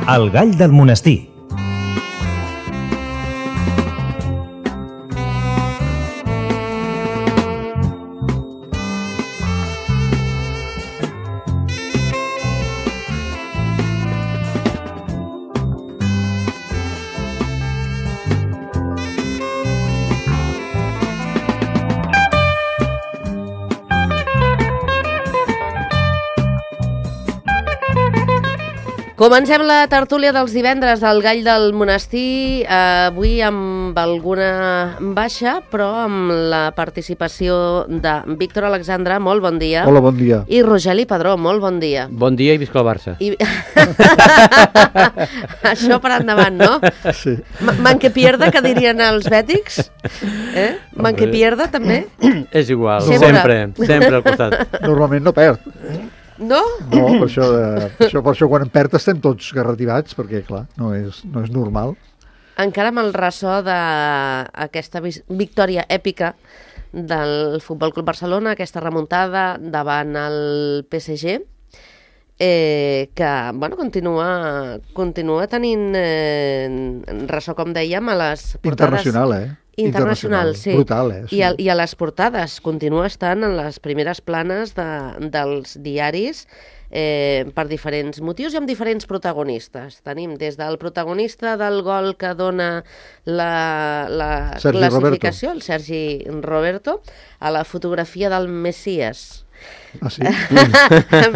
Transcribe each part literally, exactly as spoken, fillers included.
El gall del monestir. Comencem la tertúlia dels divendres del Gall del Monestir, eh, avui amb alguna baixa, però amb la participació de Víctor Alexandre, molt bon dia. Hola, bon dia. I Rogeli Padró, molt bon dia. Bon dia i visca el Barça. I... Això per endavant, no? Sí. Man que pierda, que dirien els bètics. Eh? Man que pierda, també? És igual, Sempre. sempre, sempre al costat. Normalment no perd. No? No, per això, eh, per això, per això quan en perd estem tots garrativats, perquè, clar, no és, no és normal. Encara amb el ressò d'aquesta victòria èpica del Futbol Club Barcelona, aquesta remuntada davant el P S G, eh, que bueno, continua, continua tenint eh, ressò, com dèiem, a les portades... Internacional, eh? Internacional, sí. Brutal, eh? Sí. I, a, I a les portades continua estant en les primeres planes de, dels diaris eh, per diferents motius i amb diferents protagonistes. Tenim des del protagonista del gol que dona la, la classificació, Roberto. el Sergi Roberto, a la fotografia del Messies. Ah, sí?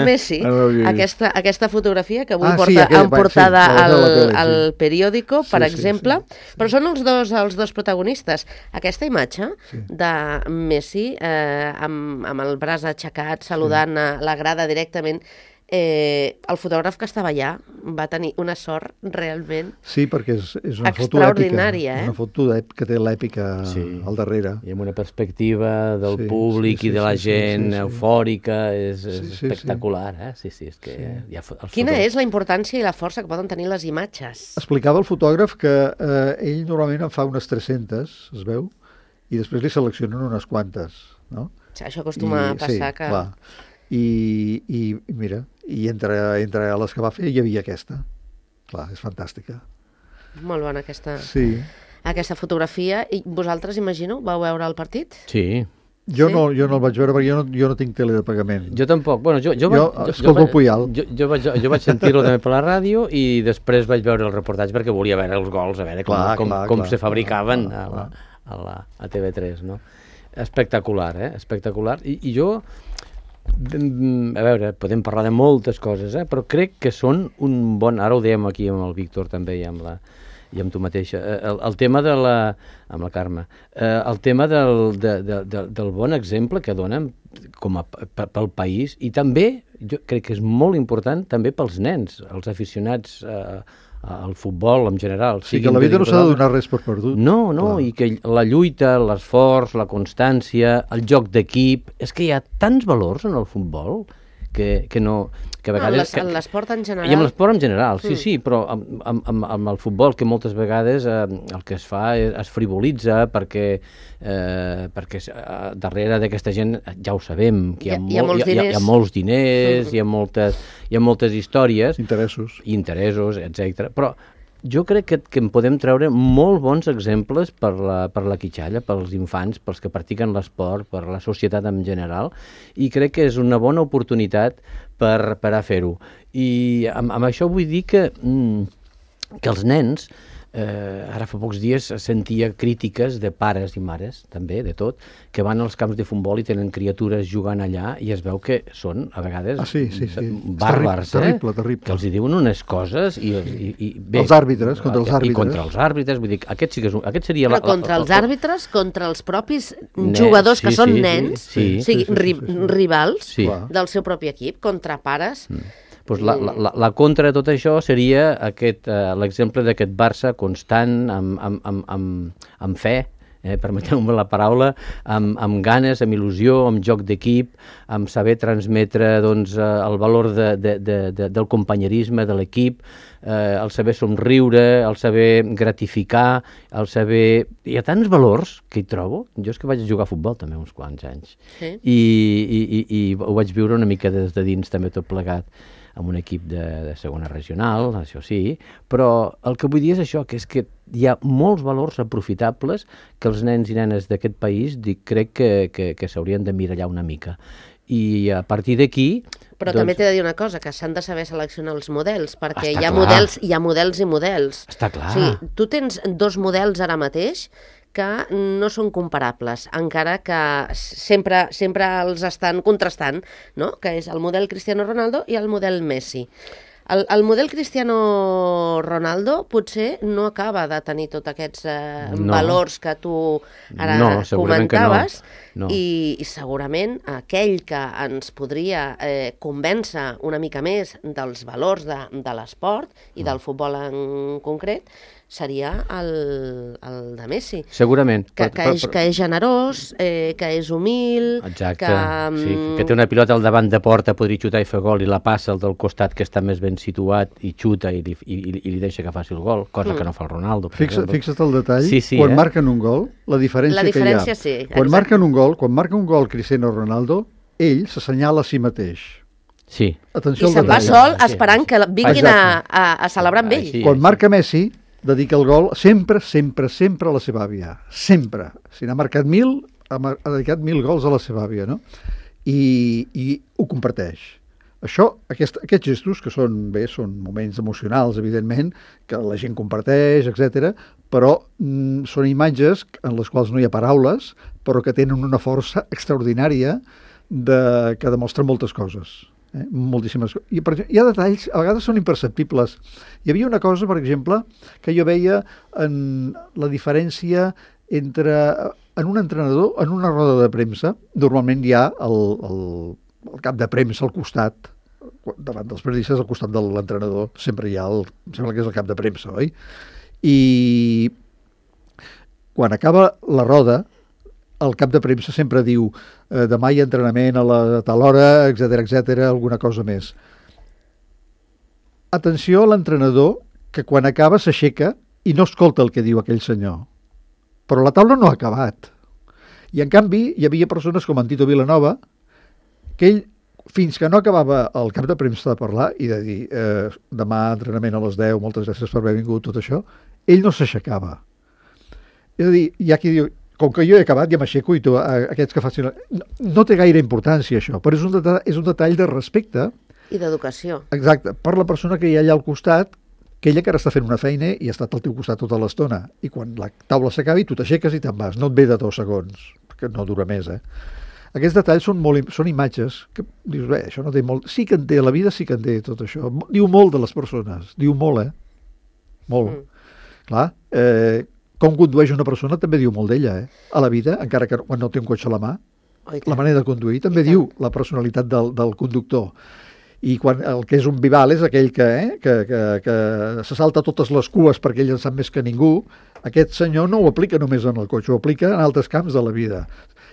Messi, aquesta, aquesta fotografia que avui ah, porta sí, en portada sí, al, tele, al sí. periòdico, per sí, exemple, sí, sí. però són els dos, els dos protagonistes. Aquesta imatge sí. de Messi eh, amb, amb el braç aixecat, saludant sí. a la grada directament, eh, el fotògraf que estava allà va tenir una sort realment sí, perquè és, és una foto extraordinària, èpica, eh? una foto que té l'èpica sí. al darrere. I amb una perspectiva del sí, públic sí, sí, i de la sí, gent sí, sí, sí. eufòrica, és, és sí, sí, espectacular, eh? Sí, sí, és que sí. hi ha els Quina fotos... és la importància i la força que poden tenir les imatges? Explicava el fotògraf que eh, ell normalment en fa unes tres-centes, es veu, i després li seleccionen unes quantes, no? Això acostuma I, a passar sí, que... Clar. I, i mira, i entre, entre les que va fer hi havia aquesta. Clar, és fantàstica. Molt bona aquesta, sí. aquesta fotografia. I vosaltres, imagino, vau veure el partit? Sí. Jo, sí? no, jo no el vaig veure perquè jo no, jo no tinc tele de pagament. Jo tampoc. Bueno, jo, jo, jo, jo escolto jo, el Puyal. Jo, jo, vaig, jo vaig sentir-lo també per la ràdio i després vaig veure el reportatge perquè volia veure els gols, a veure com, clar, com, clar, com clar, se fabricaven clar, clar, a, la, a, la, a T V tres, no? Espectacular, eh? Espectacular. I, i jo... A veure, podem parlar de moltes coses, eh? Però crec que són un bon... Ara ho dèiem aquí amb el Víctor també i amb, la, i amb tu mateixa. El, el tema de la... amb la Carme. El tema del, de, de, de, del bon exemple que donen com a, pel país i també, jo crec que és molt important també pels nens, els aficionats... Eh, al futbol en general. Sí, que la vida no s'ha de donar res per perdut. No, no, clar. I que la lluita, l'esforç, la constància, el joc d'equip... És que hi ha tants valors en el futbol que, que no... Que a vegades, en l'esport en general. I en l'esport en general, sí, mm. sí, però amb, amb, amb el futbol que moltes vegades eh, el que es fa és, es frivolitza perquè, eh, perquè eh, darrere d'aquesta gent ja ho sabem, que hi ha, hi ha, molt, hi ha, hi ha, hi ha molts diners, mm. hi ha moltes, hi ha moltes històries. Interessos. Interessos, etcètera. Però jo crec que, que en podem treure molt bons exemples per la, per la quitxalla, pels infants, pels que practiquen l'esport, per la societat en general, i crec que és una bona oportunitat per, per a fer-ho. I amb, amb això vull dir que, mm, que els nens, eh, ara fa pocs dies sentia crítiques de pares i mares, també, de tot, que van als camps de futbol i tenen criatures jugant allà i es veu que són, a vegades, ah, sí, sí, sí. bàrbars, terrible, eh? Terrible, terrible. Que els hi diuen unes coses i... i, i bé, els àrbitres, contra els àrbitres. I contra els àrbitres, vull dir, aquest sí que és un, aquest seria... Però la, contra la, els la, àrbitres, contra els propis nens, jugadors que sí, són sí, nens, sí, sí, o sigui, sí, sí, ri, sí, sí. rivals sí. del seu propi equip, contra pares... Mm. Pues la, la, la contra de tot això seria aquest, uh, l'exemple d'aquest Barça constant, amb, amb, amb, amb, amb fe, eh, permeteu-me la paraula, amb, amb ganes, amb il·lusió, amb joc d'equip, amb saber transmetre doncs, el valor de, de, de, de, del companyerisme de l'equip, eh, el saber somriure, el saber gratificar, el saber... Hi ha tants valors que hi trobo. Jo és que vaig jugar a futbol també uns quants anys. Sí. I, i, i, i ho vaig viure una mica des de dins també tot plegat, amb un equip de, de segona regional, això sí, però el que vull dir és això, que és que hi ha molts valors aprofitables que els nens i nenes d'aquest país dic, crec que, que, que s'haurien de mirallar una mica. I a partir d'aquí... Però doncs... també t'he de dir una cosa, que s'han de saber seleccionar els models, perquè hi ha clar. models, hi ha models i models. Està clar. O sigui, tu tens dos models ara mateix que no són comparables, encara que sempre, sempre els estan contrastant, no? Que és el model Cristiano Ronaldo i el model Messi. El, el model Cristiano Ronaldo potser no acaba de tenir tots aquests eh, no. valors que tu ara no, comentaves, no. No. I, i segurament aquell que ens podria eh, convèncer una mica més dels valors de, de l'esport i del futbol en concret seria el, el de Messi. Segurament. Que, que, és, que és generós, eh, que és humil... Exacte, que, sí, que té una pilota al davant de porta, podria xutar i fer gol, i la passa al del costat que està més ben situat i xuta i, i, i, i li deixa que faci el gol, cosa mm. que no fa el Ronaldo. Fixa, fixa't el detall, sí, sí, quan eh? marquen un gol, la diferència, la diferència que hi ha. Sí, quan exacte. marquen un gol, quan marca un gol Cristiano Ronaldo, ell s'assenyala a si mateix. Sí. Atenció I se'n va sol esperant que vinguin a, a, a celebrar amb ell. Sí, quan sí. marca Messi, dedica el gol sempre, sempre, sempre a la seva àvia. Sempre. Si n'ha marcat mil, ha, ha dedicat mil gols a la seva àvia, no? I, i ho comparteix. Això, aquest, aquests gestos, que són, bé, són moments emocionals, evidentment, que la gent comparteix, etcètera, però mm, són imatges en les quals no hi ha paraules, però que tenen una força extraordinària de, que demostren moltes coses. Eh? Moltíssimes coses. I, per exemple, hi ha detalls, a vegades són imperceptibles. Hi havia una cosa, per exemple, que jo veia en la diferència entre, en un entrenador, en una roda de premsa, normalment hi ha el, el, el cap de premsa al costat, davant dels periodistes, al costat de l'entrenador, sempre hi ha el, em sembla que és el cap de premsa, oi? I quan acaba la roda, el cap de premsa sempre diu eh, demà hi ha entrenament a la tal hora, etcètera, etcètera, alguna cosa més. Atenció a l'entrenador, que quan acaba s'aixeca i no escolta el que diu aquell senyor. Però la taula no ha acabat. I en canvi hi havia persones com en Tito Vilanova, que ell, fins que no acabava el cap de premsa de parlar i de dir eh, demà entrenament a les deu, moltes gràcies per haver vingut, tot això, ell no s'aixecava. És a dir, hi ha qui diu, com que jo he acabat, ja m'aixeco i tu, aquests que facin... No, no té gaire importància, això, però és un, detall, és un detall de respecte. I d'educació. Exacte, per la persona que hi ha allà al costat, que ella que ara està fent una feina i ha estat al teu costat tota l'estona. I quan la taula s'acabi, tu t'aixeques i te'n vas. No et ve de dos segons, perquè no dura més, eh? Aquests detalls són, molt, són imatges que dius, bé, això no té molt... Sí que en té, la vida sí que en té tot això. Diu molt de les persones, diu molt, eh? Molt. Mm. Clar, eh... com condueix una persona també diu molt d'ella, eh? A la vida, encara que quan no té un cotxe a la mà, oh, la manera de conduir també diu la personalitat del, del conductor. I quan el que és un vival és aquell que, eh, que, que, que se salta totes les cues perquè ell en sap més que ningú. Aquest senyor no ho aplica només en el cotxe, ho aplica en altres camps de la vida.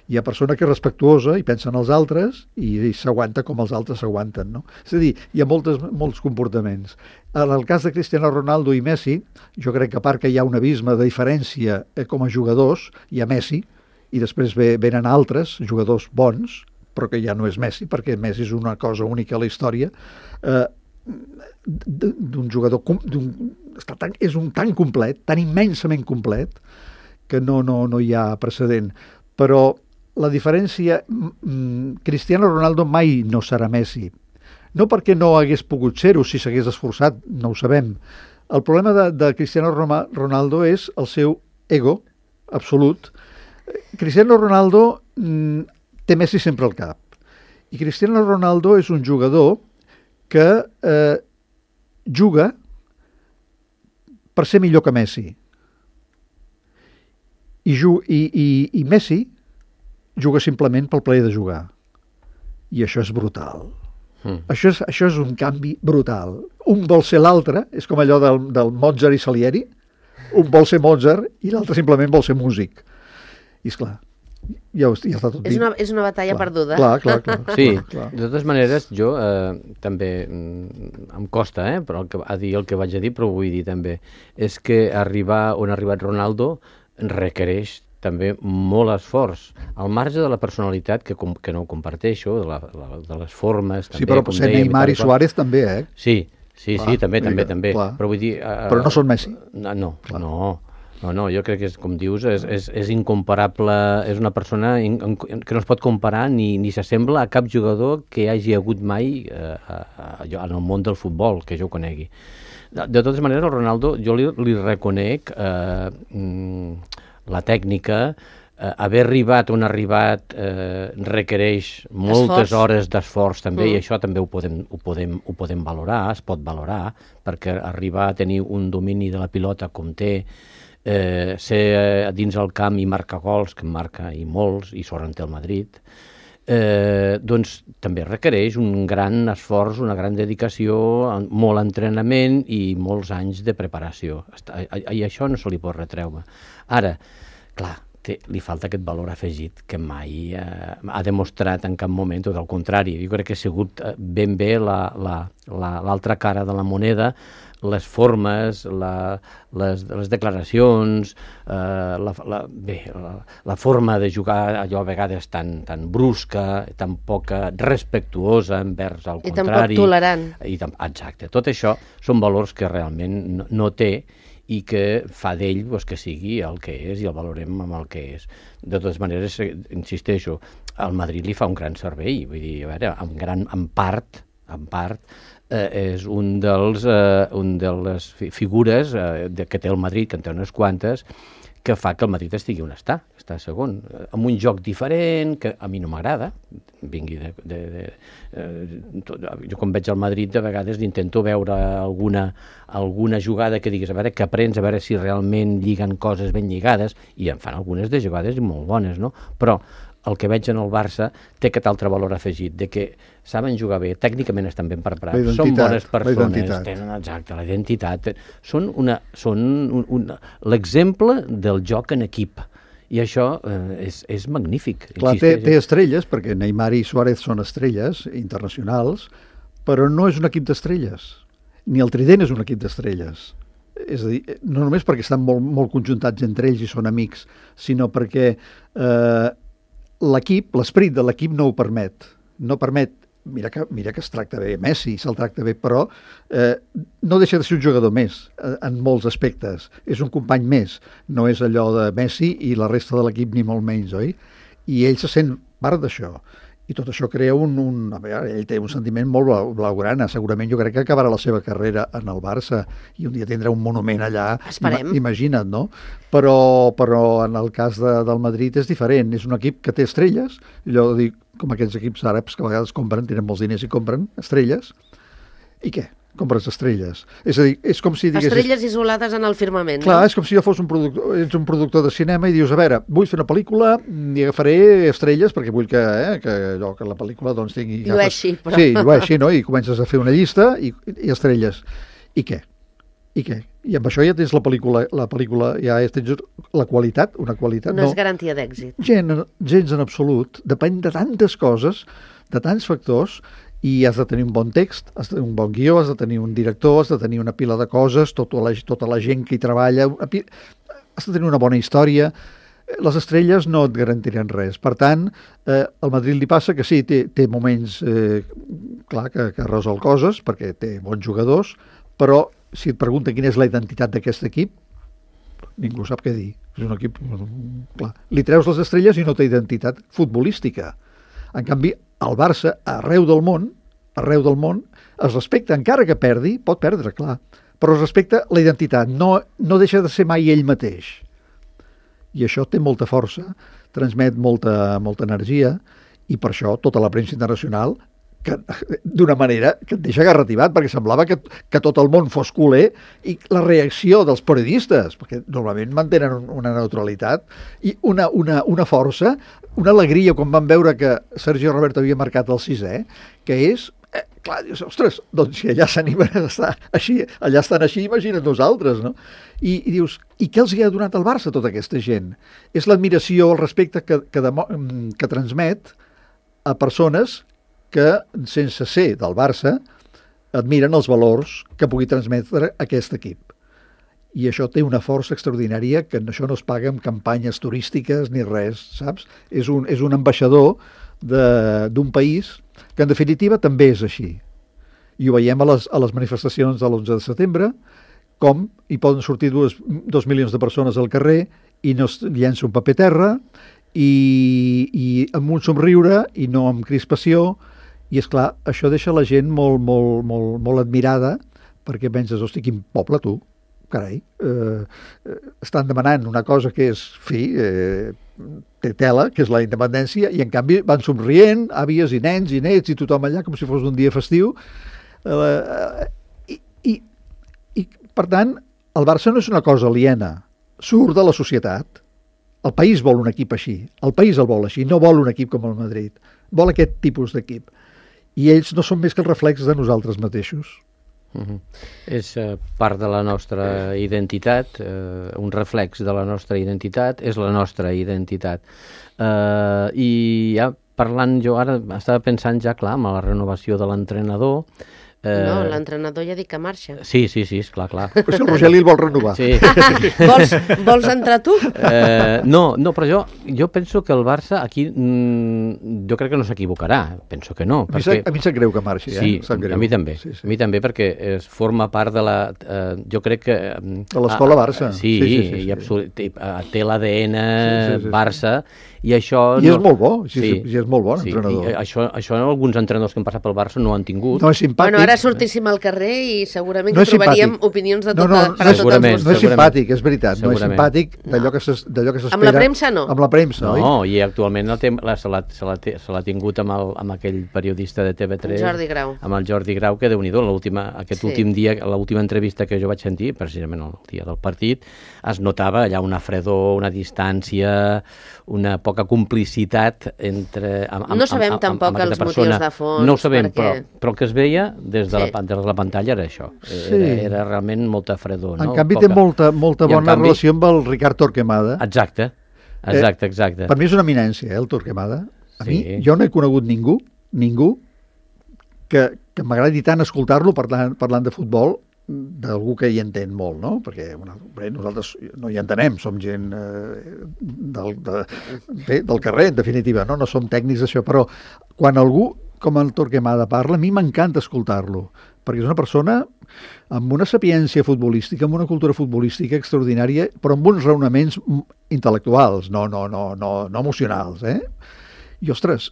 Hi ha persona que és respectuosa i pensa en els altres i, i s'aguanta com els altres s'aguanten, no? És a dir, hi ha moltes, molts comportaments. En el cas de Cristiano Ronaldo i Messi, jo crec que a part que hi ha un abisme de diferència eh, com a jugadors, hi ha Messi, i després ve, venen altres jugadors bons, però que ja no és Messi, perquè Messi és una cosa única a la història, eh, d'un jugador... D'un, està tan, és un tan complet, tan immensament complet, que no, no, no hi ha precedent. Però la diferència, Cristiano Ronaldo mai no serà Messi. No perquè no hagués pogut ser-ho, si s'hagués esforçat, no ho sabem. El problema de, de Cristiano Ronaldo és el seu ego absolut. Cristiano Ronaldo mm, té Messi sempre al cap. I Cristiano Ronaldo és un jugador que eh, juga per ser millor que Messi. I, ju i, i, i Messi juga simplement pel plaer de jugar. I això és brutal. Mm. Això, és, això és un canvi brutal. Un vol ser l'altre, és com allò del, del Mozart i Salieri, un vol ser Mozart i l'altre simplement vol ser músic. I esclar, ja, ja està tot dit. És una, és una batalla clar, perduda. Clar, clar, clar. Sí, clar, clar. de totes maneres, jo eh, també mm, em costa, eh, però el que, a dir el que vaig a dir, però ho vull dir també, és que arribar on ha arribat Ronaldo requereix també molt esforç, al marge de la personalitat, que, com, que no ho comparteixo, de, la, la, de les formes... Sí, també, però com potser dèiem, Neymar i, i Suárez també, eh? Sí, sí, clar, sí, també, també, que, també. Clar. Però vull dir... Uh, però no són Messi. No, no, clar. no. No, no, jo crec que, és, com dius, és, és, és incomparable, és una persona in, in, que no es pot comparar ni, ni s'assembla a cap jugador que hi hagi hagut mai eh, a, a, a, en el món del futbol, que jo conegui. De, de totes maneres, el Ronaldo, jo li, li reconec eh, mm, la tècnica, eh, haver arribat on ha arribat eh, requereix moltes Esforç. hores d'esforç també, Mm. i això també ho podem, ho, podem, ho podem valorar, es pot valorar, perquè arribar a tenir un domini de la pilota com té, eh, ser dins el camp i marcar gols, que en marca i molts, i sort en té el Madrid, eh, doncs també requereix un gran esforç, una gran dedicació, molt entrenament i molts anys de preparació. I això no se li pot retreure. Ara, clar, té, li falta aquest valor afegit que mai eh, ha demostrat en cap moment, tot el contrari. Jo crec que ha sigut ben bé l'altra la, la, la cara de la moneda, les formes, la, les, les declaracions, eh, la, la, bé, la, la forma de jugar allò a vegades tan, tan brusca, tan poca respectuosa envers el I contrari. tan poc tolerant. I tan, exacte. Tot això són valors que realment no, no té i que fa d'ell doncs, que sigui el que és i el valorem amb el que és. De totes maneres, insisteixo, al Madrid li fa un gran servei, vull dir, a veure, en, gran, en part, en part, eh, és un dels, eh, un de les fi figures eh, de, que té el Madrid, que en té unes quantes, que fa que el Madrid estigui on està, està segon, eh, amb un joc diferent, que a mi no m'agrada, vingui de... de, de eh, tot, jo quan veig el Madrid de vegades intento veure alguna, alguna jugada que diguis, a veure, que aprens, a veure si realment lliguen coses ben lligades, i en fan algunes de jugades molt bones, no? Però el que veig en el Barça té aquest altre valor afegit, de que saben jugar bé, tècnicament estan ben preparats, són bones persones, tenen exacte, la identitat, són, una, són un, un, l'exemple del joc en equip, i això eh, és, és magnífic. Clar, té, té estrelles, perquè Neymar i Suárez són estrelles internacionals, però no és un equip d'estrelles, ni el Trident és un equip d'estrelles. És a dir, no només perquè estan molt, molt conjuntats entre ells i són amics, sinó perquè eh, l'equip, l'esperit de l'equip no ho permet. No permet, mira que, mira que es tracta bé Messi, se'l tracta bé, però eh, no deixa de ser un jugador més en, en molts aspectes. És un company més, no és allò de Messi i la resta de l'equip ni molt menys, oi? I ell se sent part d'això. I tot això crea un... un a veure, ell té un sentiment molt blau, blaugrana. Segurament jo crec que acabarà la seva carrera en el Barça i un dia tindrà un monument allà. Esperem. Imagina't, no? Però, però en el cas de, del Madrid és diferent. És un equip que té estrelles, allò de dir, com aquests equips àrabs que a vegades compren, tenen molts diners i compren estrelles. I què? Compres estrelles. És a dir, és com si diguessis... Estrelles isolades en el firmament. Clar, no? és com si jo fos un productor, ets un productor de cinema i dius, a veure, vull fer una pel·lícula i agafaré estrelles perquè vull que, eh, que, allò, que la pel·lícula doncs, tingui... Llueixi, però... Sí, llueixi, no? I comences a fer una llista i, i estrelles. I què? I què? I amb això ja tens la pel·lícula, la pel·lícula ja tens la qualitat, una qualitat... No, no és garantia d'èxit. Gens, gens en absolut. Depèn de tantes coses, de tants factors, i has de tenir un bon text, has de tenir un bon guió, has de tenir un director, has de tenir una pila de coses, tota la, tota la gent que hi treballa, has de tenir una bona història. Les estrelles no et garantiran res. Per tant, eh, al Madrid li passa que sí, té, té moments, eh, clar, que, que resol coses, perquè té bons jugadors, però si et pregunta quina és la identitat d'aquest equip, ningú sap què dir. És un equip... Clar, li treus les estrelles i no té identitat futbolística. En canvi, el Barça, arreu del món, arreu del món, es respecta, encara que perdi, pot perdre, clar, però es respecta la identitat, no, no deixa de ser mai ell mateix. I això té molta força, transmet molta, molta energia, i per això tota la premsa internacional, d'una manera que et deixa garrativat, perquè semblava que, que tot el món fos culer, i la reacció dels periodistes, perquè normalment mantenen una neutralitat, i una, una, una força, una alegria quan van veure que Sergio Roberto havia marcat el sisè, que és clar, dius, ostres, doncs si allà s'animen a estar així, allà estan així, imagina't nosaltres, no? I, i dius, i què els hi ha donat al Barça tota aquesta gent? És l'admiració, el respecte que, que, demo, que transmet a persones que, sense ser del Barça, admiren els valors que pugui transmetre aquest equip. I això té una força extraordinària que això no es paga amb campanyes turístiques ni res, saps? És un, és un ambaixador d'un país que en definitiva també és així. I ho veiem a les, a les manifestacions de l'onze de setembre, com hi poden sortir dues, dos milions de persones al carrer i no es llença un paper terra i, i amb un somriure i no amb crispació, i és clar, això deixa la gent molt, molt, molt, molt admirada, perquè penses, hosti, quin poble tu, carai, eh, estan demanant una cosa que és, fi, eh, té tela, que és la independència, i en canvi van somrient, àvies i nens i nets i tothom allà com si fos un dia festiu. Eh, i, i, I, per tant, el Barça no és una cosa aliena, surt de la societat. El país vol un equip així, el país el vol així, no vol un equip com el Madrid, vol aquest tipus d'equip. I ells no són més que el reflex de nosaltres mateixos. Uh-huh. És uh, part de la nostra identitat, uh, un reflex de la nostra identitat, és la nostra identitat. Uh, I ja parlant, jo ara estava pensant ja, clar, amb la renovació de l'entrenador. Uh, no, l'entrenador ja dic que marxa. Sí, sí, sí, esclar, clar. Però si el Rogeli el vol renovar. Sí. vols, vols entrar tu? Uh, no, no, però jo, jo penso que el Barça aquí, mm, jo crec que no s'equivocarà, penso que no. A mi, perquè... a mi sap greu que marxi, eh? Sí, greu. a mi també, sí, sí. a mi també perquè es forma part de la... Eh, jo crec que... De l'escola Barça. Sí, sí, sí, sí, i sí. absolut, té l'A D N sí, sí, sí, Barça, i això... I no... és molt bo, sí, sí, sí, és molt bon sí, entrenador. I això, això alguns entrenadors que han passat pel Barça no han tingut. No és simpàtic. Bueno, ara sortíssim al carrer i segurament no que trobaríem simpàtic. opinions de no, tota, no, per a tots els no gustos. és simpàtic, és veritat, segurament. no és simpàtic d'allò que s'espera. Amb la premsa no. Amb la premsa, oi? No, i actualment la, la, se l'ha tingut amb, el, amb aquell periodista de T V tres, Jordi Grau. amb el Jordi Grau, que déu-n'hi-do, aquest sí. últim dia, l'última entrevista que jo vaig sentir, precisament el dia del partit, es notava allà una fredor, una distància, una poca complicitat entre... Amb, amb, no sabem amb, tampoc amb, amb els persona. motius de fons. No ho sabem, perquè... però, però el que es veia des de, sí. la, des de la pantalla era això. Sí. Era, era realment molta fredor. En no? canvi Poca. té molta, molta bona canvi... relació amb el Ricard Torquemada. Exacte, exacte, exacte. Eh, per mi és una eminència, eh, el Torquemada. A sí. mi, jo no he conegut ningú, ningú, que, que m'agradi tant escoltar-lo parlant, parlant de futbol, d'algú que hi entén molt, no? Perquè bueno, bé, nosaltres no hi entenem, som gent eh, del, de, bé, del carrer, en definitiva, no? No som tècnics d'això, però quan algú com el Torquemada parla, a mi m'encanta escoltar-lo, perquè és una persona amb una sapiència futbolística, amb una cultura futbolística extraordinària, però amb uns raonaments intel·lectuals, no, no, no, no, no emocionals, eh? I, ostres,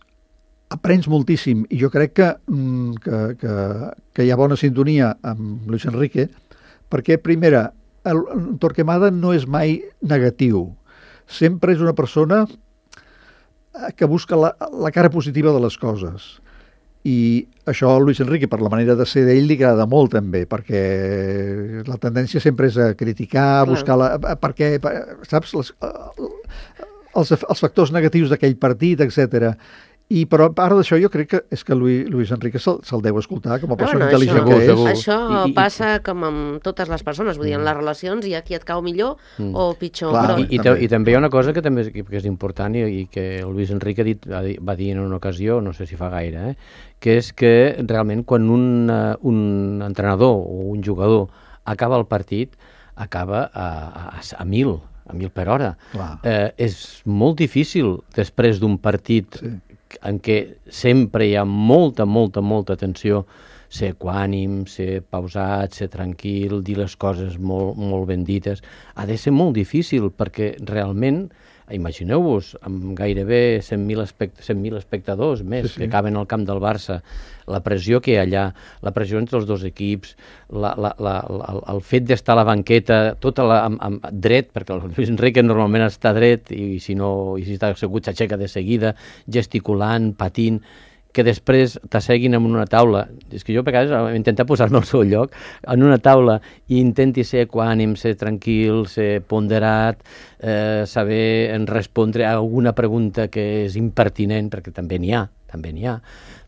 aprens moltíssim, i jo crec que, que, que, que hi ha bona sintonia amb Luis Enrique, perquè, primera, el, el Torquemada no és mai negatiu. Sempre és una persona que busca la, la cara positiva de les coses. I això a Luis Enrique, per la manera de ser d'ell, li agrada molt també, perquè la tendència sempre és a criticar, a buscar la... perquè, saps, les, els, els factors negatius d'aquell partit, etcètera. I però a part d'això jo crec que és que Luis, Luis Enrique se'l se deu escoltar com a persona bueno, intel·ligent això, que és. segur. Això I, i, passa com amb totes les persones, vull dir, en les relacions hi ha qui et cau millor mm. o pitjor. Clar, però... I, i, també. I també hi ha una cosa que també que és important i, i que el Luis Enrique ha dit, va dir en una ocasió, no sé si fa gaire, eh, que és que realment quan un, uh, un entrenador o un jugador acaba el partit, acaba a, a, a mil, a mil per hora. Eh, és molt difícil després d'un partit sí. en què sempre hi ha molta, molta, molta tensió, ser equànim, ser pausat, ser tranquil, dir les coses molt, molt ben dites. Ha de ser molt difícil perquè realment, imagineu-vos, amb gairebé cent mil espect espectadors més sí, sí. que acaben al camp del Barça, la pressió que hi ha allà, la pressió entre els dos equips, la, la, la, la, el fet d'estar a la banqueta, tota la, amb, amb dret, perquè el Luis Enrique normalment està dret i si no, i si està assegut s'aixeca de seguida, gesticulant, patint, que després t'asseguin en una taula. És que jo a vegades intento posar-me al seu lloc, en una taula, i intenti ser equànim, ser tranquil, ser ponderat, eh, saber respondre a alguna pregunta que és impertinent, perquè també n'hi ha, també n'hi ha,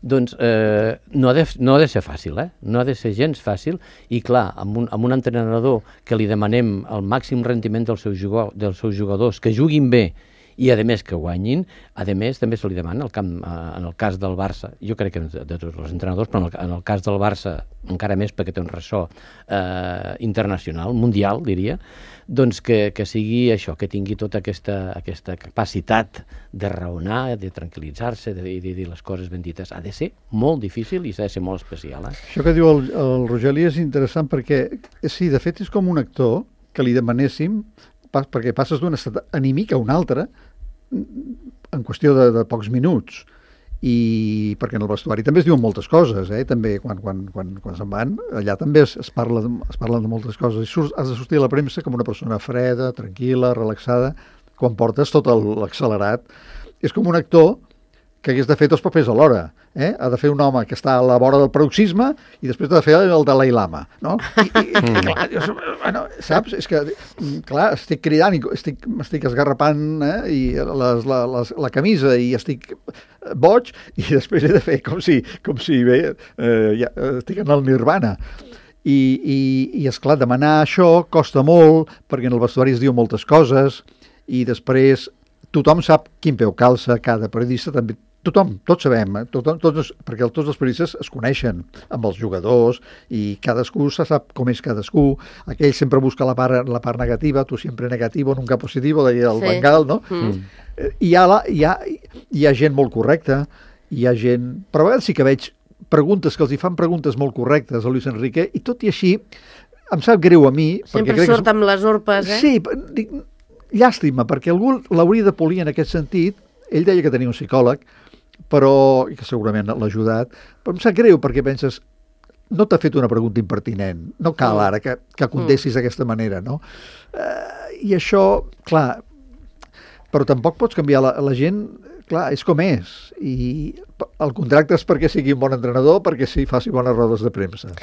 doncs eh, no, ha de, no ha de ser fàcil, eh? No ha de ser gens fàcil, i clar, amb un, amb un entrenador que li demanem el màxim rendiment dels seus, jugadors, dels seus jugadors, que juguin bé i a més que guanyin, a més també se li demana el camp, en el cas del Barça, jo crec que de tots els entrenadors, però en el cas del Barça encara més perquè té un ressò eh, internacional, mundial diria, doncs que, que sigui això, que tingui tota aquesta, aquesta capacitat de raonar, de tranquil·litzar-se, de, de dir les coses ben dites. Ha de ser molt difícil i s'ha de ser molt especial. Eh? Això que diu el, el Rogeli és interessant perquè, sí, de fet és com un actor que li demanéssim, pas, perquè passes d'un estat anímic a un altre en qüestió de, de pocs minuts, i perquè en el vestuari també es diuen moltes coses, eh? També quan, quan, quan, quan se'n van, allà també es, es, parla de, es parlen de moltes coses, i surt, has de sortir a la premsa com una persona freda, tranquil·la, relaxada, quan portes tot l'accelerat. És com un actor que hagués de fer dos papers alhora, eh? Ha de fer un home que està a la vora del paroxisme i després ha de fer el Dalai Lama, no? I, i, i clar, jo, bueno, saps? És que, clar, estic cridant i estic, m'estic esgarrapant, eh? I les, la, les, la camisa i estic boig, i després he de fer com si, com si bé, eh, ja, estic en el nirvana. I, i, i esclar, demanar això costa molt, perquè en el vestuari es diu moltes coses, i després tothom sap quin peu calça, cada periodista també, tothom, tots sabem, eh? tothom, tots, perquè tots els periodistes es coneixen amb els jugadors i cadascú se sap com és cadascú, aquell sempre busca la part, la part negativa, tu sempre negativo, nunca positivo, deia el sí. Bengal, no? Mm. I hi ha, la, hi, ha, hi ha gent molt correcta, hi ha gent... Però a vegades sí que veig preguntes, que els hi fan preguntes molt correctes a Luis Enrique, i tot i així em sap greu a mi... Sempre surt que... amb les urpes, eh? Sí, dic, llàstima, perquè algú l'hauria de polir en aquest sentit. Ell deia que tenia un psicòleg, però, i que segurament l'ha ajudat, però em sap greu perquè penses, no t'ha fet una pregunta impertinent, no cal ara que, que contestis mm. d'aquesta manera, no? Uh, I això, clar, però tampoc pots canviar la, la gent, clar, és com és, i el contracte és perquè sigui un bon entrenador, perquè sí, faci bones rodes de premsa.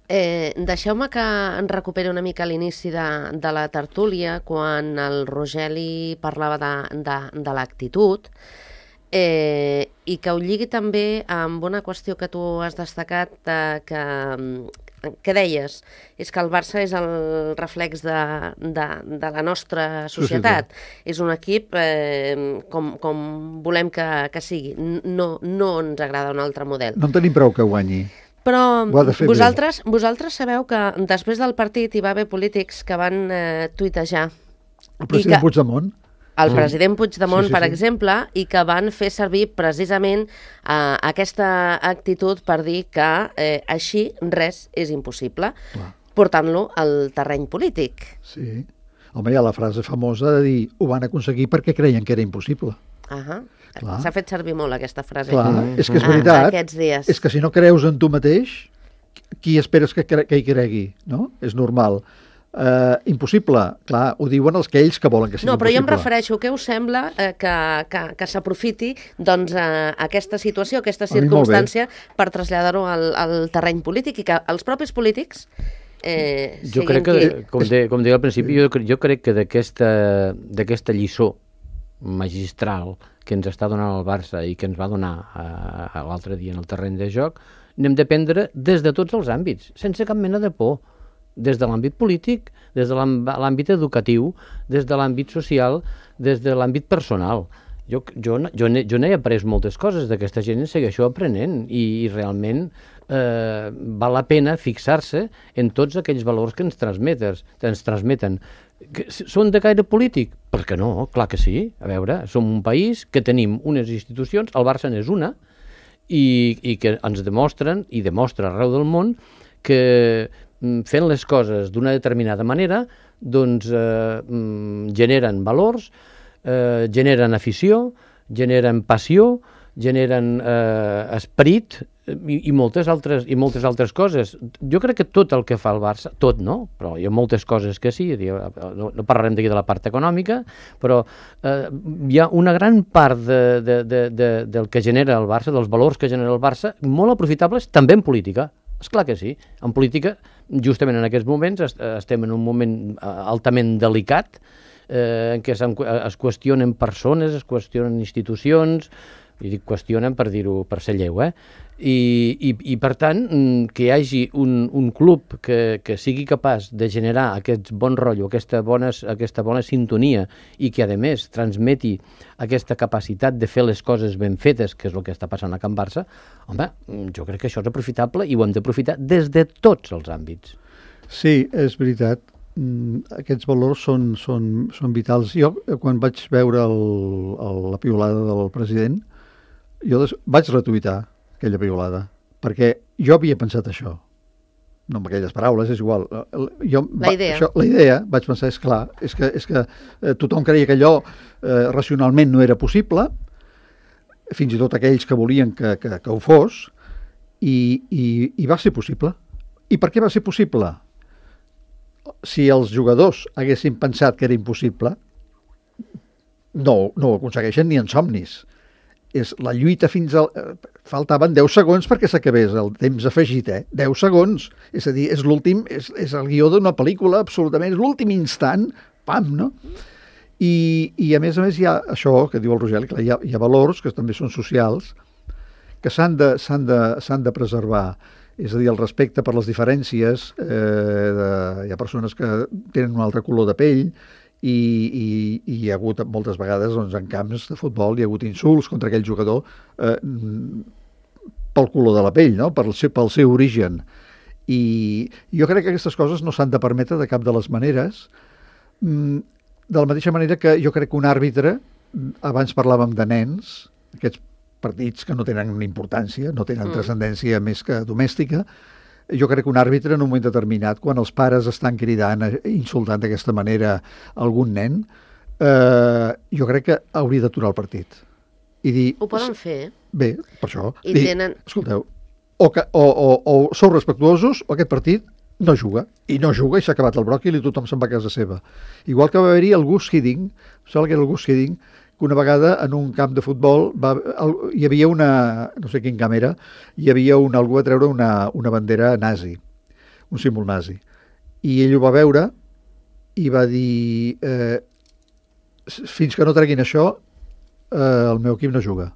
Eh, deixeu-me que en recuperi una mica l'inici de, de la tertúlia, quan el Rogeli parlava de, de, de l'actitud, eh, i que ho lligui també amb una qüestió que tu has destacat, eh, que, que deies, és que el Barça és el reflex de, de, de la nostra societat. Sí, sí, sí. És un equip eh, com, com volem que, que sigui. No, no ens agrada un altre model. No en tenim prou que guanyi. Però vosaltres, vosaltres sabeu que després del partit hi va haver polítics que van eh, tuitejar. El president que, Puigdemont. El president Puigdemont, sí, sí, sí, per sí. exemple, i que van fer servir precisament eh, aquesta actitud per dir que eh, així res és impossible, clar, portant-lo al terreny polític. Sí. Home, hi ha la frase famosa de dir ho van aconseguir perquè creien que era impossible. Ahà. S'ha fet servir molt aquesta frase. Clar, mm. és que és veritat. Ah, aquests dies. És que si no creus en tu mateix, qui esperes que, cre que hi cregui? No? És normal. Uh, impossible, clar, ho diuen els que ells que volen que sigui no, però impossible. Jo em refereixo, què us sembla eh, que, que, que s'aprofiti doncs, eh, aquesta situació, aquesta circumstància per traslladar-ho al, al terreny polític i que els propis polítics eh, jo crec que, qui... com, de, com deia al principi, jo, jo crec que d'aquesta lliçó magistral que ens està donant el Barça i que ens va donar eh, l'altre dia en el terreny de joc, n'hem de prendre des de tots els àmbits, sense cap mena de por. Des de l'àmbit polític, des de l'àmbit educatiu, des de l'àmbit social, des de l'àmbit personal. Jo, jo, jo n'he après moltes coses d'aquesta gent, segueixo aprenent i, i realment eh, val la pena fixar-se en tots aquells valors que ens transmeten. Ens transmeten. Que són de caire polític? Per què no? Clar que sí. A veure, som un país que tenim unes institucions, el Barça n'és una, i, i que ens demostren, i demostra arreu del món, que fent les coses d'una determinada manera, doncs eh, generen valors, eh, generen afició, generen passió, generen eh, esperit i, i, moltes altres, i moltes altres coses. Jo crec que tot el que fa el Barça, tot no, però hi ha moltes coses que sí, no, no parlarem d'aquí de la part econòmica, però eh, hi ha una gran part de, de, de, de, del que genera el Barça, dels valors que genera el Barça, molt aprofitables també en política. És clar que sí. En política, justament en aquests moments, est estem en un moment altament delicat, eh, en què es qüestionen persones, es qüestionen institucions, i dic qüestionen per dir-ho, per ser lleu, eh? I, i, i per tant, que hi hagi un, un club que, que sigui capaç de generar aquest bon rotllo, aquesta bona, aquesta bona sintonia i que, a més, transmeti aquesta capacitat de fer les coses ben fetes, que és el que està passant a Can Barça, home, jo crec que això és aprofitable i ho hem d'aprofitar des de tots els àmbits. Sí, és veritat. Aquests valors són, són, són vitals. Jo, quan vaig veure el, el, la piulada del president, jo des... vaig retuitar aquella piulada, perquè jo havia pensat això. No amb aquelles paraules, és igual. Jo, la idea. Va, això, la idea, vaig pensar, és clar, és que, és que eh, tothom creia que allò eh, racionalment no era possible, fins i tot aquells que volien que, que, que ho fos, i, i, i va ser possible. I per què va ser possible? Si els jugadors haguessin pensat que era impossible, no, no ho aconsegueixen ni en somnis. És la lluita fins al... Faltaven deu segons perquè s'acabés el temps afegit, eh? deu segons. És a dir, és l'últim, és, és el guió d'una pel·lícula, absolutament, és l'últim instant, pam, no? I, i a més a més hi ha això que diu el Rogeli, clar, hi ha, hi ha valors que també són socials, que s'han de, s'han de, s'han de preservar. És a dir, el respecte per les diferències, eh, de, hi ha persones que tenen un altre color de pell, i, i, i hi ha hagut moltes vegades doncs, en camps de futbol hi ha hagut insults contra aquell jugador eh, pel color de la pell, no? pel, seu, pel seu origen. I jo crec que aquestes coses no s'han de permetre de cap de les maneres, de la mateixa manera que jo crec que un àrbitre, abans parlàvem de nens, aquests partits que no tenen importància, no tenen mm. transcendència més que domèstica, jo crec que un àrbitre en un moment determinat, quan els pares estan cridant, insultant d'aquesta manera algun nen, eh, jo crec que hauria d'aturar el partit. I dir, ho poden fer. Bé, per això. I dir, tenen... Escolteu, o, que, o, o, o sou respectuosos o aquest partit no juga. I no juga i s'ha acabat el bròquil i tothom se'n va a casa seva. Igual que va haver-hi el Gus Hiddink, sembla que era el Gus Hiddink, que una vegada en un camp de futbol va, el, hi havia una, no sé quin camp era, hi havia un, algú a treure una, una bandera nazi, un símbol nazi. I ell ho va veure i va dir, eh, fins que no treguin això, eh, el meu equip no juga.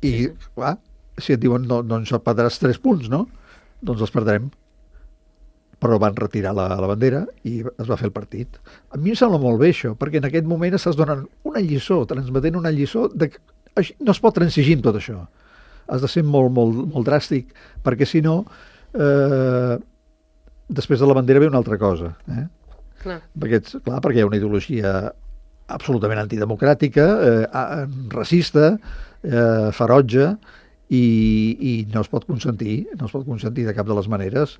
I, clar, si et diuen, no, no ens perdràs tres punts, no? Doncs els perdrem. Però van retirar la, la bandera i es va fer el partit. A mi em sembla molt bé això, perquè en aquest moment estàs donant una lliçó, transmetent una lliçó de que no es pot transigir amb tot això. Has de ser molt, molt, molt dràstic, perquè si no, eh, després de la bandera ve una altra cosa. Eh? Clar. Perquè, clar, perquè hi ha una ideologia absolutament antidemocràtica, eh, racista, eh, ferotge, i, i no es pot consentir, no es pot consentir de cap de les maneres.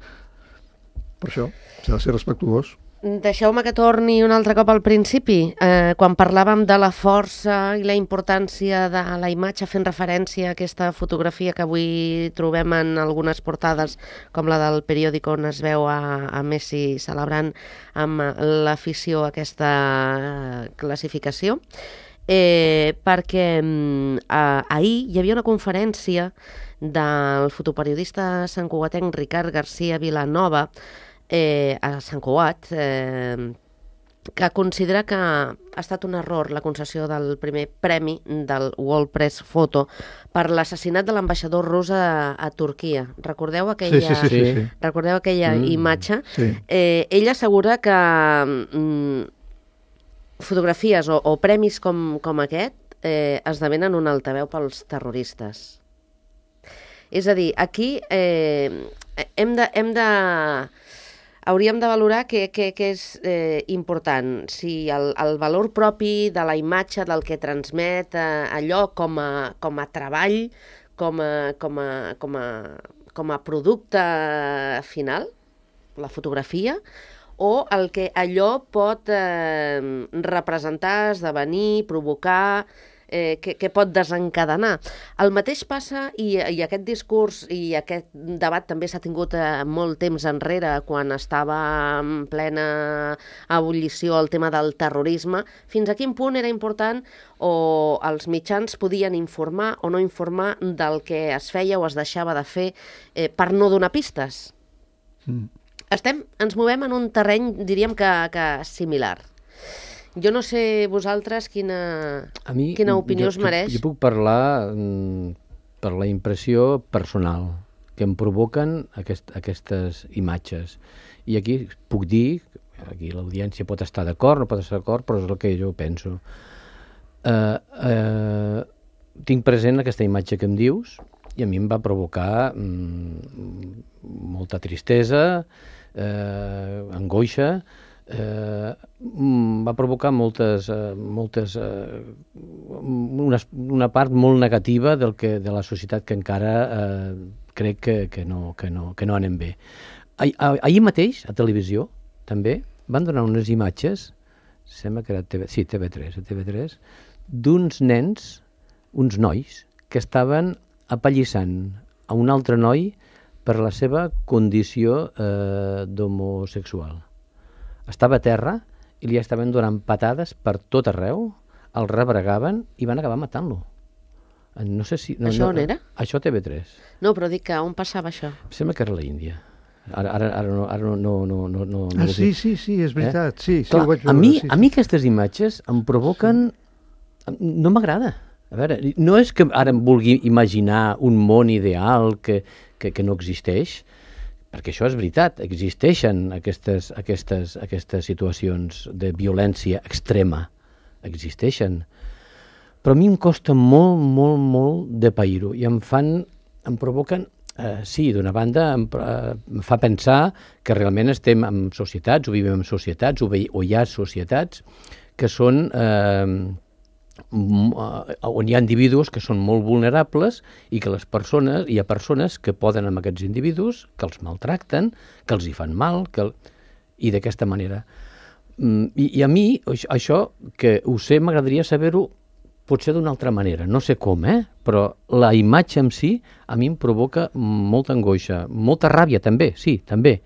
Per això, s'ha de ser respectuós. Deixeu-me que torni un altre cop al principi. Eh, quan parlàvem de la força i la importància de la imatge, fent referència a aquesta fotografia que avui trobem en algunes portades, com la del periòdic on es veu a, a Messi celebrant amb l'afició aquesta classificació, eh, perquè eh, ahir hi havia una conferència del fotoperiodista santcugatenc Ricard García Vilanova, Eh, a Sant Cugat, eh, que considera que ha estat un error la concessió del primer premi del World Press Photo per l'assassinat de l'ambaixador rus a, a Turquia. Recordeu aquella, sí, sí, sí, sí. Recordeu aquella mm, imatge? Sí. Eh, ell assegura que mm, fotografies o, o premis com, com aquest eh, esdevenen un altaveu pels terroristes. És a dir, aquí eh, hem de... Hem de hauríem de valorar què, què, què és eh, important, si el, el valor propi de la imatge, del que transmet eh, allò com a, com a treball, com a, com, a, com, a, com a producte final, la fotografia, o el que allò pot eh, representar, esdevenir, provocar, eh, que, que pot desencadenar. El mateix passa, i, i aquest discurs i aquest debat també s'ha tingut eh, molt temps enrere, quan estava en plena ebullició el tema del terrorisme, fins a quin punt era important o els mitjans podien informar o no informar del que es feia o es deixava de fer eh, per no donar pistes. Mm. Estem, ens movem en un terreny, diríem que, que similar. Jo no sé vosaltres quina, A mi, quina opinió jo, us mereix. Jo, jo puc parlar mm, per la impressió personal que em provoquen aquest, aquestes imatges. I aquí puc dir, aquí l'audiència pot estar d'acord, no pot estar d'acord, però és el que jo penso. Uh, uh, tinc present aquesta imatge que em dius i a mi em va provocar mm, molta tristesa, eh, angoixa, eh, va provocar moltes, eh, moltes eh, una, una part molt negativa del que, de la societat que encara eh, crec que, que, no, que, no, que no anem bé. Ah, ah, ahir mateix, a televisió, també, van donar unes imatges, sembla que era TV, sí, T V tres, a T V tres, d'uns nens, uns nois, que estaven apallissant a un altre noi per la seva condició eh, d'homosexual. Estava a terra i li estaven donant patades per tot arreu, el rebregaven i van acabar matant-lo. No sé si... No, Això no, on era? Això a T V tres. No, però dic que on passava això? Em sembla que era la Índia. Ara, ara, ara, no, ara no, no, no, no, no, Ah, no sí, sí, sí, és veritat. Eh? Sí, sí, Clar, ho vaig veure. a, mi, sí, a mi aquestes imatges em provoquen... No m'agrada. A veure, no és que ara em vulgui imaginar un món ideal que, que, que no existeix, perquè això és veritat, existeixen aquestes, aquestes, aquestes situacions de violència extrema, existeixen. Però a mi em costa molt, molt, molt de pair-ho i em fan, em provoquen, eh, sí, d'una banda em, eh, em fa pensar que realment estem en societats, o vivim en societats, o, ve, o hi ha societats que són... Eh, on hi ha individus que són molt vulnerables i que les persones, hi ha persones que poden amb aquests individus, que els maltracten, que els hi fan mal, que el... i d'aquesta manera. I, I a mi, això, que ho sé, m'agradaria saber-ho potser d'una altra manera, no sé com, eh? Però la imatge en si a mi em provoca molta angoixa, molta ràbia també, sí, també.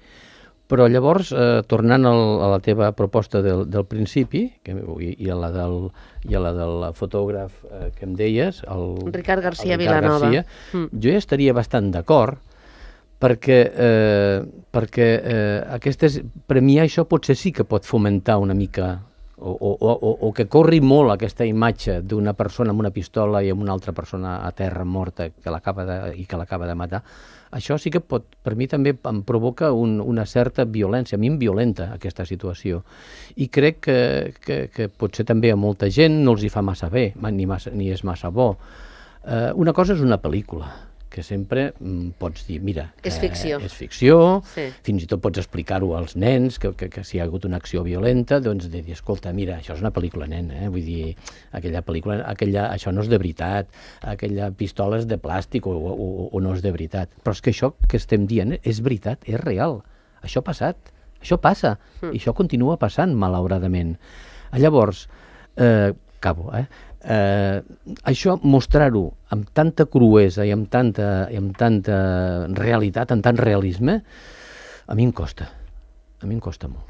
Però llavors, eh, tornant al, a la teva proposta del, del principi, que, i, i, a la del, i a la del fotògraf eh, que em deies, el Ricard García el Ricard Vilanova. García, mm. jo ja estaria bastant d'acord, perquè, eh, perquè eh, aquestes, per mi això potser sí que pot fomentar una mica, o, o, o, o que corri molt aquesta imatge d'una persona amb una pistola i amb una altra persona a terra morta que l'acaba de, i que l'acaba de matar. Això sí que pot, per mi també em provoca un, una certa violència, a mi em violenta aquesta situació. I crec que, que, que potser també a molta gent no els hi fa massa bé, ni, massa, ni és massa bo. Eh, una cosa és una pel·lícula, que sempre mm, pots dir, mira, és ficció, és ficció, sí. Fins i tot pots explicar-ho als nens, que, que, que si hi ha hagut una acció violenta, doncs de dir, escolta, mira, això és una pel·lícula, nen, eh? Vull dir, aquella pel·lícula, aquella, això no és de veritat, aquella pistola és de plàstic o, o, o no és de veritat. Però és que això que estem dient és veritat, és real, això ha passat, això passa, mm. i això continua passant, malauradament. Llavors, eh, acabo, eh? Eh, això, mostrar-ho amb tanta cruesa i amb tanta, i amb tanta realitat, amb tant realisme, a mi em costa, a mi em costa molt.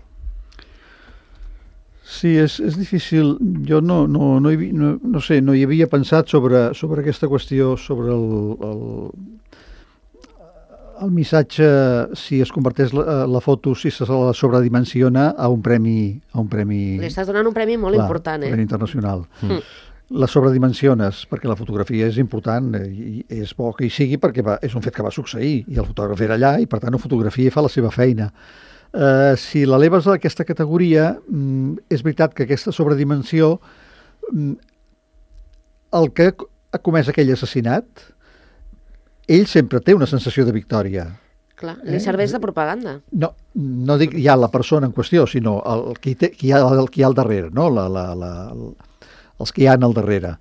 Sí, és, és difícil. Jo no, no, no, hi, no, no sé, no hi havia pensat sobre, sobre aquesta qüestió, sobre el, el, el missatge, si es converteix la, la foto, si se la sobredimensiona a un premi... A un premi Li estàs donant un premi molt clar, important, eh? Un premi internacional. Mm. La sobredimensiones, perquè la fotografia és important i és bo que hi sigui perquè va, és un fet que va succeir i el fotògraf era allà i per tant ho fotografia i fa la seva feina. Uh, si l'eleves a aquesta categoria, mm, és veritat que aquesta sobredimensió, mm, el que ha comès aquell assassinat, ell sempre té una sensació de victòria. Clar, li eh? serveix de propaganda. No, no dic ja la persona en qüestió, sinó el, qui, té, qui, hi ha, el, qui hi ha al darrere, no? la, la, la, els que hi ha al darrere.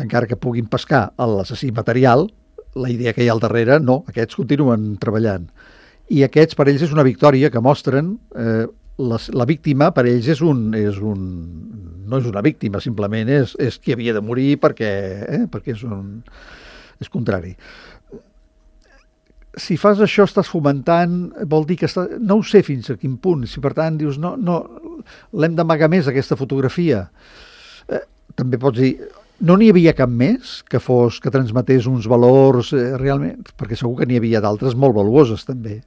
Encara que puguin pescar l'assassí material, la idea que hi ha al darrere, no, aquests continuen treballant. I aquests per ells és una victòria que mostren eh, la, la víctima per ells és un, és un... no és una víctima, simplement és, és qui havia de morir perquè, eh? perquè és un... és contrari. Si fas això estàs fomentant, vol dir que està... no ho sé fins a quin punt, si per tant dius no, no, l'hem d'amagar més aquesta fotografia. Eh, també pots dir, no n'hi havia cap més que fos, que transmetés uns valors eh, realment, perquè segur que n'hi havia d'altres molt valuoses també.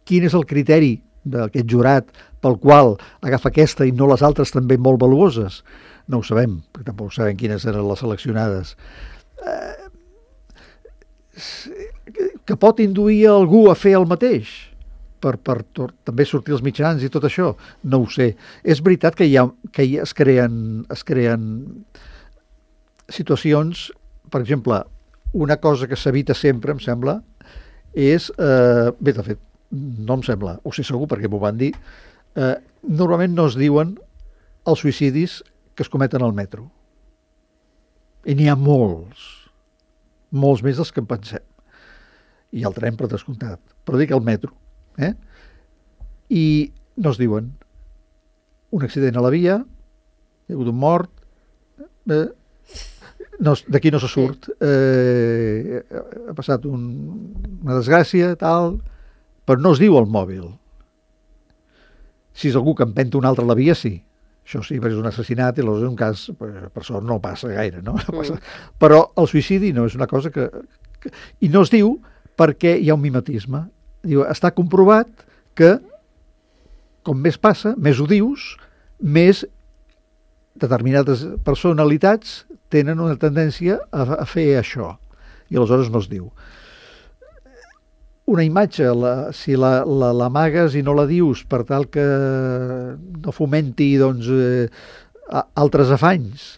Quin és el criteri d'aquest jurat pel qual agafa aquesta i no les altres també molt valuoses? No ho sabem, perquè tampoc sabem quines eren les seleccionades. Eh, que pot induir algú a fer el mateix per, per tot, també sortir els mitjans i tot això, no ho sé. És veritat que, hi ha, que hi es creen es creen situacions, per exemple, una cosa que s'evita sempre, em sembla, és, eh, bé, de fet, no em sembla, ho sé segur perquè m'ho van dir, eh, normalment no es diuen els suïcidis que es cometen al metro. I n'hi ha molts, molts més dels que en pensem. I el tren, per descomptat. Però dic el metro. Eh? I no es diuen un accident a la via, hi ha hagut un mort, eh, no, d'aquí no se surt, eh, ha passat un, una desgràcia, tal, però no es diu el mòbil. Si és algú que empenta un altre a la via, sí. Això sí, perquè és un assassinat i és un cas, per sort no passa gaire, no? no passa. Mm. Però el suïcidi no és una cosa que, que... I no es diu perquè hi ha un mimetisme. Diu, està comprovat que com més passa, més ho dius, més determinades personalitats tenen una tendència a, a fer això. I aleshores no es diu. Una imatge, la, si la, la, l'amagues i no la dius per tal que no fomenti doncs, eh, altres afanys,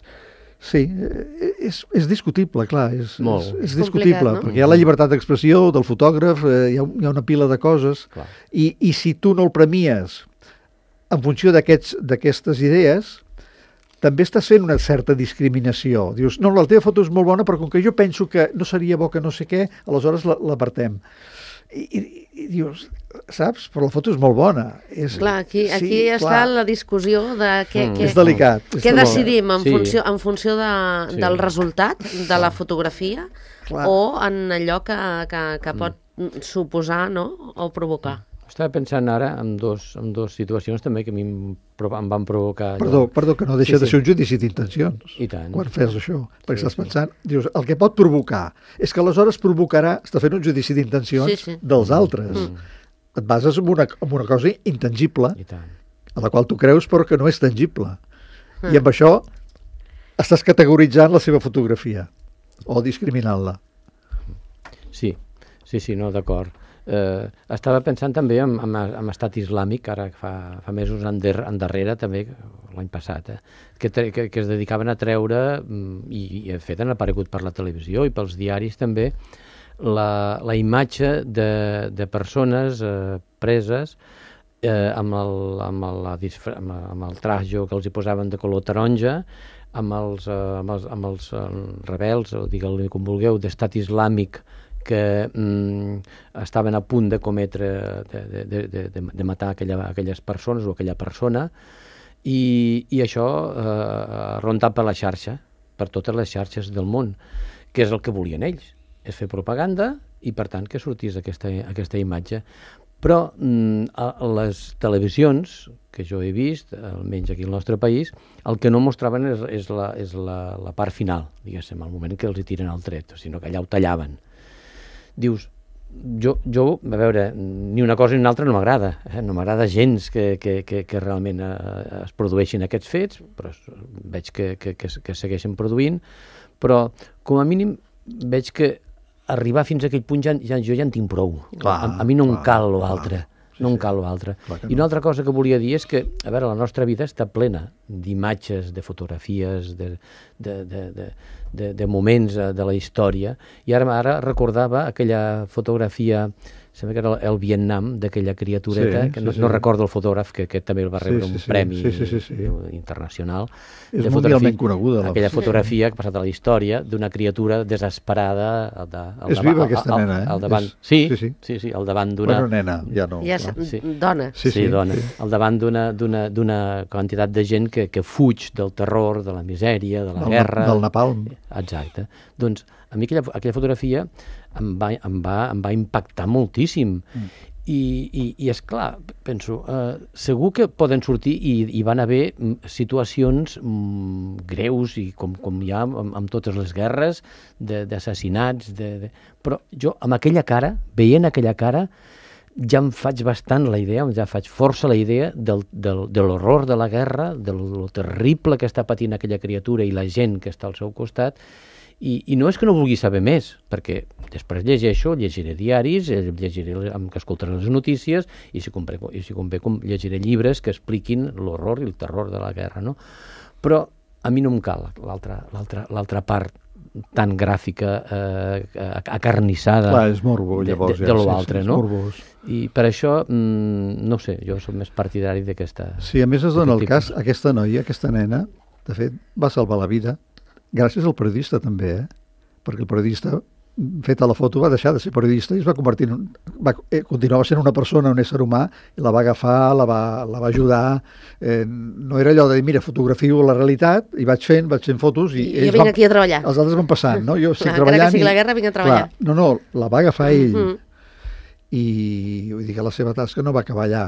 sí, és, és discutible, clar, és, és, és discutible, no? Perquè hi ha la llibertat d'expressió del fotògraf, eh, hi, ha, hi ha una pila de coses, i, i si tu no el premies en funció d'aquests, d'aquestes idees, també estàs fent una certa discriminació. Dius, no, la teva foto és molt bona, però com que jo penso que no seria bo que no sé què, aleshores l'apartem. I, i, i dius, saps? Però la foto és molt bona. És, clar, aquí, aquí sí, està clar. la discussió de què, mm. què, és delicat. Què és decidim en sí. funció, en funció de, sí. del resultat de la fotografia clar. O en allò que, que, que pot mm. suposar, no? O provocar. Mm. Estava pensant ara en dos, en dos situacions també que a mi em, em van provocar... Perdó, allò... perdó, que no deixa sí, de ser un judici d'intencions. I tant. Quan fes això. Perquè sí, estàs sí. pensant, dius, el que pot provocar és que aleshores provocarà, està fent un judici d'intencions sí, sí. dels altres. Mm. Et bases en una, en una cosa intangible, I tant. A la qual tu creus però que no és tangible. Mm. I amb això estàs categoritzant la seva fotografia o discriminant-la. Sí, sí, sí, no, d'acord. Eh, estava pensant també en, en, en estat islàmic, ara fa, fa mesos ender, endarrere també, l'any passat, eh, que, que, que es dedicaven a treure, i, i de fet han aparegut per la televisió i pels diaris també, la, la imatge de, de persones eh, preses eh, amb, el, amb, el, la, amb el trajo que els hi posaven de color taronja, amb els, eh, amb els, amb els eh, rebels, o digueu-li com vulgueu, d'estat islàmic, que mm, estaven a punt de cometre, de, de, de, de, de matar aquella, aquelles persones o aquella persona, i, i això eh, rondat per la xarxa, per totes les xarxes del món, que és el que volien ells, és fer propaganda i per tant que sortís aquesta, aquesta imatge. Però mm, a, a les televisions que jo he vist, almenys aquí al nostre país, el que no mostraven és, és, la, és la, la part final, diguéssim, el moment que els hi tiren el tret, sinó que allà ho tallaven. Dius, jo, jo, a veure, ni una cosa ni una altra no m'agrada, eh? No m'agrada gens que, que, que, que realment eh, es produeixin aquests fets, però veig que, que, que, que segueixen produint, però com a mínim veig que arribar fins a aquell punt ja, ja, jo ja en tinc prou. Clar, a, a mi no clar, em cal l'altre. Sí, no em cal l'altre. No. I una altra cosa que volia dir és que, a veure, la nostra vida està plena d'imatges, de fotografies, de, de, de, de, de, de moments de la història, i ara, ara recordava aquella fotografia sembla que era el, el Vietnam, d'aquella criatureta, Sí, que sí, no, sí. no recordo el fotògraf, que aquest també va rebre Sí, sí, un sí. premi Sí, sí, sí, sí. internacional. És de mundialment fotografia- coneguda, la- Aquella fotografia que ha passat a la història d'una criatura desesperada al, de, al, És davant- viva, aquesta al, nena, eh? al davant. És- Sí, sí, sí, sí. sí, sí, al davant d'una... Bueno, nena, ja no. Ja clar. és Sí. dona. Sí, Sí, sí, dona. sí. Al davant d'una d'una d'una quantitat de gent que, que fuig del terror, de la misèria, de la Del, guerra... del napalm. Exacte. Doncs a mi aquella, aquella fotografia em va, em va, em va impactar moltíssim. Mm. I, i, i és clar, penso, eh, segur que poden sortir i hi van haver mm, situacions mm, greus, i com, com hi ha amb, amb totes les guerres, de- d'assassinats, de, de... però jo amb aquella cara, veient aquella cara, ja em faig bastant la idea, ja faig força la idea del, del, de l'horror de la guerra, de lo, lo terrible que està patint aquella criatura i la gent que està al seu costat, i, i no és que no vulgui saber més, perquè després llegeixo, llegiré diaris, eh, llegiré, em- que escoltaré les notícies, i si convé, i si convé com llegiré llibres que expliquin l'horror i el terror de la guerra, no? Però a mi no em cal l'altra l'altra l'altra part tan gràfica, eh, acarnissada Clar, és morbo, de, llavors. de, ja, de sí, l'altre, sí, és no? morbós. I per això, mm, no sé, jo soc més partidari d'aquesta... Sí, a més es dona el d'aquest cas, aquesta noia, aquesta nena, de fet, va salvar la vida, gràcies al periodista també, eh? Perquè el periodista, feta la foto, va deixar de ser periodista i es va convertir en un... Va, eh, continuava sent una persona, un ésser humà, i la va agafar, la va, la va ajudar. Eh, no era allò de dir, mira, fotografio la realitat, i vaig fent, vaig fent fotos, i, I jo ells vinc van, aquí a treballar. els altres van passant, no? Jo estic Clar, encara treballant... que sigui i- la guerra, vinc a treballar. Clar, no, no, la va agafar ell. Mhm. I vull dir que la seva tasca no va acabar allà.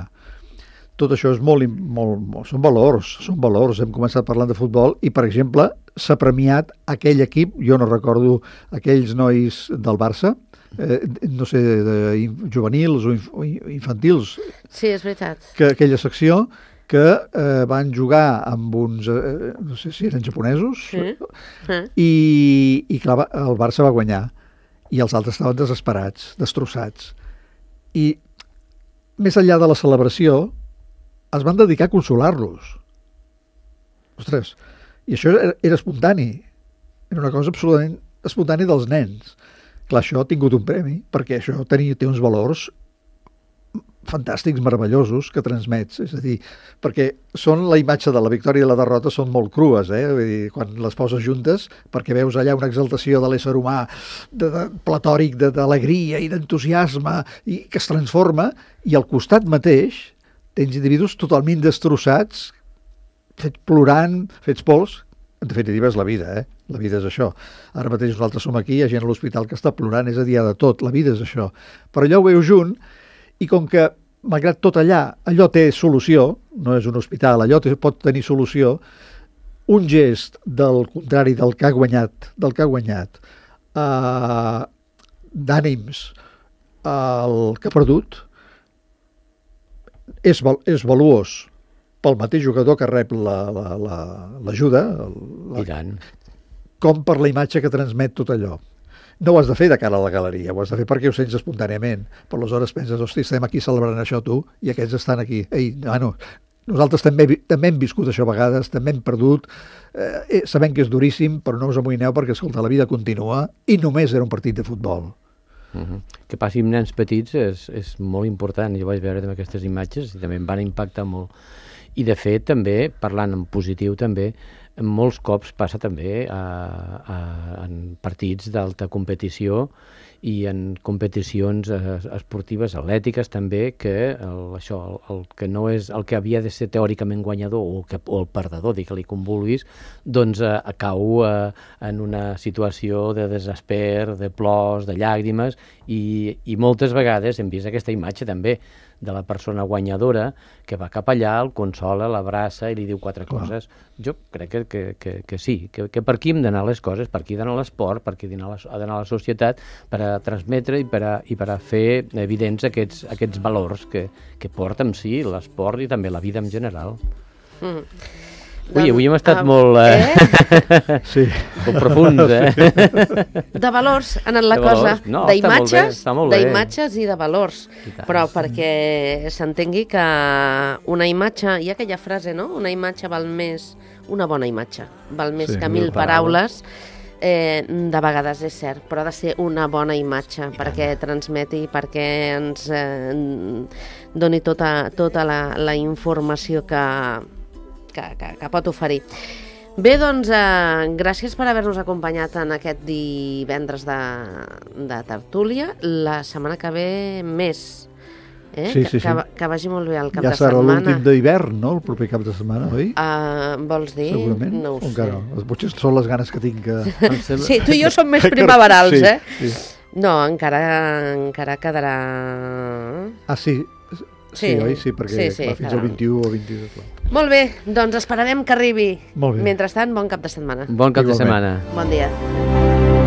Tot això és molt, im- molt, molt, són valors, són valors. Hem començat parlant de futbol i, per exemple, s'ha premiat aquell equip, jo no recordo aquells nois del Barça, eh, no sé, de in- juvenils o, inf o in- infantils, Sí, és veritat. que aquella secció que eh, van jugar amb uns, eh, no sé si eren japonesos, Sí. Eh? i, i clar, va- el Barça va guanyar i els altres estaven desesperats, destrossats. I més enllà de la celebració es van dedicar a consolar-los. Ostres, i això era, era espontani. Era una cosa absolutament espontània dels nens. Clar, això ha tingut un premi, perquè això tenia, té uns valors fantàstics, meravellosos, que transmets. És a dir, perquè són la imatge de la victòria i la derrota són molt crues, eh? Vull dir, quan les poses juntes, perquè veus allà una exaltació de l'ésser humà de, de, platòric, d'alegria i d'entusiasme, i que es transforma, i al costat mateix tens individus totalment destrossats, fets plorant, fets pols. En definitiva és la vida, eh? La vida és això. Ara mateix nosaltres som aquí, hi ha gent a l'hospital que està plorant, és a dir, de tot, la vida és això. Però allò ho veu junt, i com que, malgrat tot allà, allò té solució, no és un hospital, allò té, pot tenir solució, un gest del contrari del que ha guanyat, del que ha guanyat, eh, d'ànims el que ha perdut, és, val, és valuós pel mateix jugador que rep l'ajuda, la, la, I tant. com per la imatge que transmet tot allò. No ho has de fer de cara a la galeria, ho has de fer perquè ho sents espontàniament. Per aleshores penses, hosti, estem aquí celebrant això tu, i aquests estan aquí. Ei, bueno, nosaltres també, també hem viscut això a vegades, també hem perdut, eh, sabem que és duríssim, però no us amoïneu perquè, escolta, la vida continua, i només era un partit de futbol. Uh -huh. Que passi amb nens petits és, és molt important. Jo vaig veure també aquestes imatges i també em van impactar molt. I de fet també, parlant en positiu també, molts cops passa també a, a, en partits d'alta competició i en competicions eh, esportives, atlètiques també, que el, això, el, el que no és el que havia de ser teòricament guanyador o, que, o el perdedor, digue-li com vulguis, doncs eh, cau eh, en una situació de desesper, de plors, de llàgrimes, i, i moltes vegades hem vist aquesta imatge també de la persona guanyadora que va cap allà, el consola, l'abraça i li diu quatre Clar. coses. Jo crec que, que, que, que sí, que, que per aquí hem d'anar les coses, per aquí ha d'anar l'esport, per aquí ha d'anar la, ha d'anar la societat, per a transmetre i per a, i per a fer evidents aquests, aquests valors que, que porta amb si l'esport i també la vida en general. Mm. Ui, avui hem estat uh, molt, eh? eh? Sí. molt profuns, eh? De valors, ha anat la De cosa, valors. No, està molt bé, d'imatges, està molt bé. d'imatges i de valors. I tant. Però perquè s'entengui que una imatge, hi ha aquella frase, no? Una imatge val més, una bona imatge, val més Sí, que mil mil paraules. Eh, de vegades és cert, però ha de ser una bona imatge perquè transmeti, perquè ens eh, doni tota, tota la, la informació que, que, que, que pot oferir. Bé, doncs, eh, gràcies per haver-nos acompanyat en aquest divendres de, de tertúlia. La setmana que ve més. Eh? Sí, sí, que, sí. que, que vagi molt bé el cap ja de setmana. Ja serà l'últim d'hivern, no?, el proper cap de setmana, oi? Uh, vols dir? Segurament. No ho o sé. encara no? Potser són les ganes que tinc que... Sí, tu i jo som més primaverals, sí, eh? Sí. No, encara, encara quedarà... Ah, sí, sí, Sí, oi? Sí, perquè sí, sí, clar, fins quedarà. al vint-i-u o vint-i-dos. Clar. Molt bé, doncs esperarem que arribi. Molt bé. Mentrestant, bon cap de setmana. Bon cap de Igualment. setmana. Bon dia.